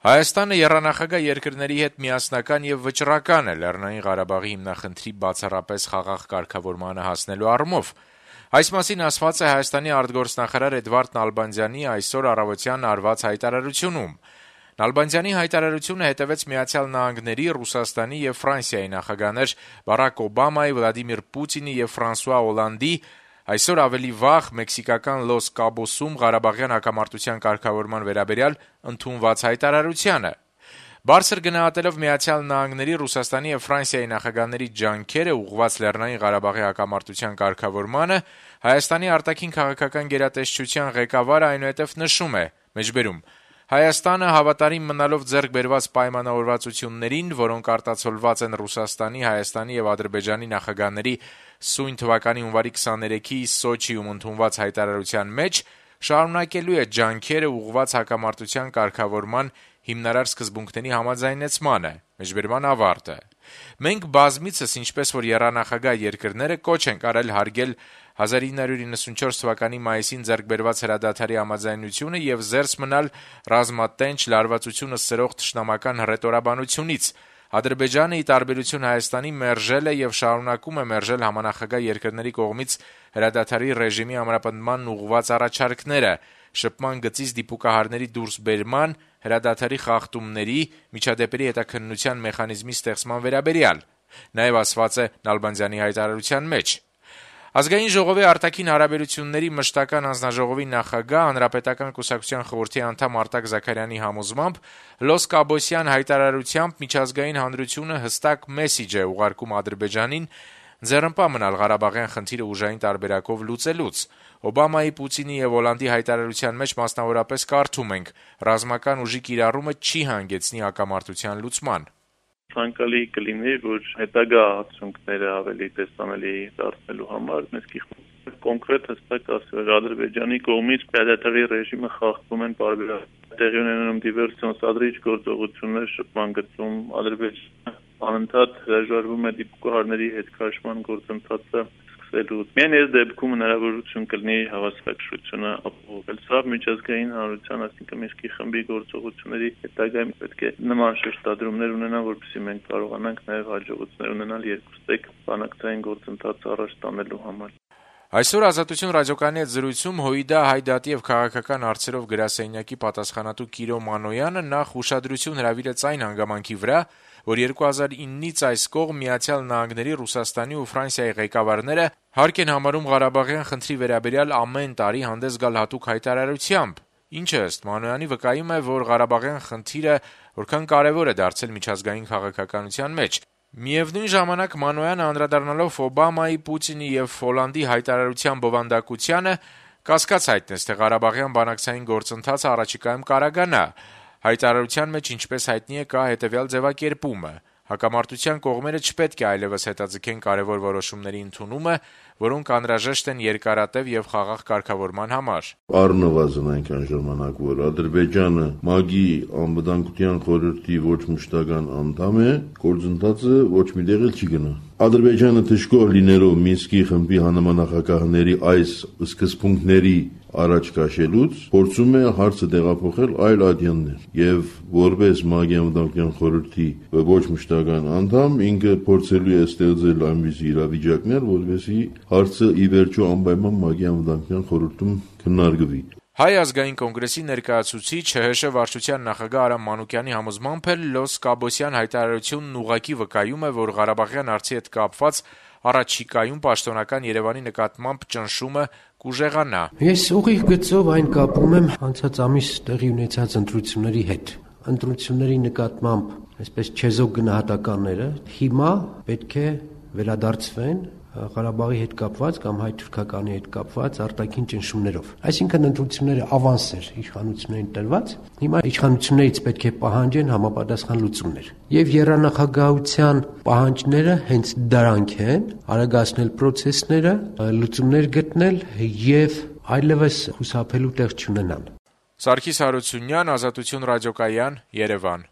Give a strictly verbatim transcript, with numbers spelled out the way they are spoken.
Հայաստանը եռանախագահ երկրների հետ միասնական եւ վճռական է Լեռնային Ղարաբաղի հիմնախնդրի բացառապես խաղաղ կարգավորմանը հասնելու առումով։ Այս մասին ասված է Հայաստանի արտգործնախարար Էդվարդ Նալբանդյանի այսօր առավոտյան արված հայտարարությունում։ Նալբանդյանի հայտարարությունը հետևեց Միացյալ Նահանգների, Ռուսաստանի եւ Ֆրանսիայի նախագահներ Բարակ Օբամայի, Վլադիմիր Պուտինի եւ Ֆրանսուଆ Օլանդի այսօր ավելի վաղ մեքսիկական Լոս Կաբոսում Ղարաբաղյան հակամարտության կարգավորման վերաբերյալ ընդունված հայտարարությանը։ Բարձր գնահատելով Միացյալ Նահանգների, Ռուսաստանի եւ Ֆրանսիայի նախագահների ջանքերը ուղղված Լեռնային Ղարաբաղի հակամարտության կարգավորմանը, Հայաստանի արտաքին քաղաքական գերատեսչության ղեկավարը այնուհետև նշում է. մեջբերում Հայաստանը հավատարիմ մնալով ձեռք բերված պայմանավորվածություններին, որոնք արտացոլված են Ռուսաստանի, Հայաստանի եւ Ադրբեջանի նախագահների սույն թվականի հունվարի քսաներեքի Սոչիում ընդունված հայտարարության մեջ, շարունակելու է ջանքերը ուղղված հակամարտության կարգավորման հիմնարար սկզբունքների համաձայնեցմանը։ Մեջբերման ավարտը։ Մենք բազմիցս, ինչպես որ եռանախագահ երկրները, կոչ ենք արել հարգել հազար ինը հարյուր իննսունչորս թվականի մայիսին ձեռք բերված հրադադարի համաձայնությունը եւ զերծ մնալ ռազմատենչ լարվածությունը սրող թշնամական հռետորաբանությունից։ Ադրբեջանը, ի տարբերություն Հայաստանի, մերժել է եւ շարունակում է մերժել համանախագահ երկրների կողմից հրադադարի ռեժիմի ամրապնդմանն ուղղված առաջարկները, շփման գծից դիպուկահարների դուրսբերման, հրադադարի խախտումների, միջադեպերի հետաքննության մեխանիզմի ստեղծման վերաբերյալ։ Նաեւ ասված է Նալբանդյանի հայտարարության մեջ. Ազգային ժողովի արտաքին հարաբերությունների մշտական հանձնաժողովի նախագահ, Հանրապետական կուսակցության խորհրդի անդամ Արտակ Զաքարյանի համոզմամբ Լոս Կաբոսյան հայտարարությամբ միջազգային հանրությունը հստակ մեսիջ է ուղարկում Ադրբեջանին ձեռնպահ մնալ Ղարաբաղյան խնդիրը ուժային տարբերակով լուծելուց։ Օբամայի, Պուտինի եւ Օլանդի հայտարարության մեջ մասնավորապես կարդում ենք. ռազմական ուժի կիրառումը չի հանգեցնի հակամարտության լուծման։ Ցանկալի կլիներ, որ հետագա արդյունքները ավելի տեսանելի դարձնելու համար մենք կոնկրետ հստակ ասել Ադրբեջանի կողմից հրադադարի ռեժիմը խախտում են բարբերաբար տեղի ունենում դիվերսիոն սադրիչ գործողություններ շփման գծում Ադրբեջանը անընդհատ հրաժարվում է դիպուկահարների հետ քաշման գործընթացը սկսելուց։ Միայն այս դեպքում հնարավորություն կլինի հավասարակշռությունը ապահովել։ Սա միջազգային հանրության, այսինքն Մինսկի խմբի գործողությունների հետագայում պետք է նման շեշտադրումներ ունենան, որպեսզի մենք կարողանանք նաև հաջողություններ ունենալ երկուստեք բանակցային գործընթացը առաջ տանելու համար։ Այսօր Ազատություն ռադիոկայանի հետ զրույցում ՀՅԴ հայդատի եւ քաղաքական հարցերով գրասենյակի պատասխանատու Կիրո Մանոյանը նախ ուշադրություն հրավիրեց այն հանգամանքի վրա, որ երկու հազար իննից այս կողմ Միացյալ Նահանգների, Ռուսաստանի ու Ֆրանսիայի ղեկավարները հարկ են համարում Ղարաբաղյան խնդրի վերաբերյալ ամեն տարի հանդես գալ հատուկ հայտարարությամբ, ինչը ըստ Մանոյանի վկայում է, որ Ղարաբաղյան խնդիրը որքան կարեւոր է դարձել միջազգային քաղաքականության մեջ։ Միևնույն ժամանակ Մանոյանը անդրադառնալով Օբամայի, Պուտինի եւ Օլանդի հայտարարության բովանդակությանը կասկած հայտնեց, թե Ղարաբաղյան բանակցային գործընթացը առաջիկայում կարագանա։ Հայտարարության մեջ, ինչպես հայտնի է, կա հետեւյալ ձևակերպումը. հակամարտության կողմերը չպետք է այլևս հետաձգեն կարևոր որոշումների ընդունումը, որոնք անհրաժեշտ են երկարատև եւ խաղաղ կարգավորման համար։ Առնվազն այնքան ժամանակ, որ Ադրբեջանը ՄԱԳ-ի անվտանգության խորհրդի ոչ մշտական անդամ է, գործընթացը ոչ մի տեղ չի գնա։ Ադրբեջանը դժգոհ լինելով Մինսկի խմբի հանրամանախագահների այս սկզբունքների առաջ քաշելուց փորձում է հարցը տեղափոխել այլ ադյաններ եւ որպես ՄԱԳ-ի անվտանգության խորհրդի ոչ մշտական անդամ ինքը փորձելու է ստեղծել այնպիսի իրավիճակներ, որովհետեւ հարցը ի վերջո անպայման ՄԱԳ-ի անվտանգության խորհրդում քննարկվի։ Հայ ազգային կոնգրեսի ներկայացուցիչ ՀՀՇ վարչության նախագահ Արամ Մանուկյանի համոզմամբ էլ Լոս Կաբոսյան հայտարարությունն ուղղակի վկայում է, որ Ղարաբաղյան հարցի հետ կապված առաջիկայում պաշտոնական Երևանի նկատմամբ ճնշումը կուժեղանա։ Ես ուղիղ գծով այն կապում եմ անցած ամիս տեղի ունեցած ընտրությունների հետ։ Ընտրությունների նկատմամբ այսպես չեզոք գնահատականները հիմա պետք է վերադարձվեն Ղարաբաղի հետ կապված կամ հայ-թուրքականի հետ կապված արտաքին ճնշումներով։ Այսինքն ընտրությունները ավանսեր իշխանություններին տրված, հիմա իշխանություններից պետք է պահանջեն համապատասխան լուծումներ։ Եվ եռանախագահության պահանջները հենց դրանք են՝ արագացնել process-ները, լուծումներ գտնել եւ այլևս խուսափելու տեղ չունենան։ Սարգիս Հարությունյան, Ազատություն ռադիոկայան, Երևան։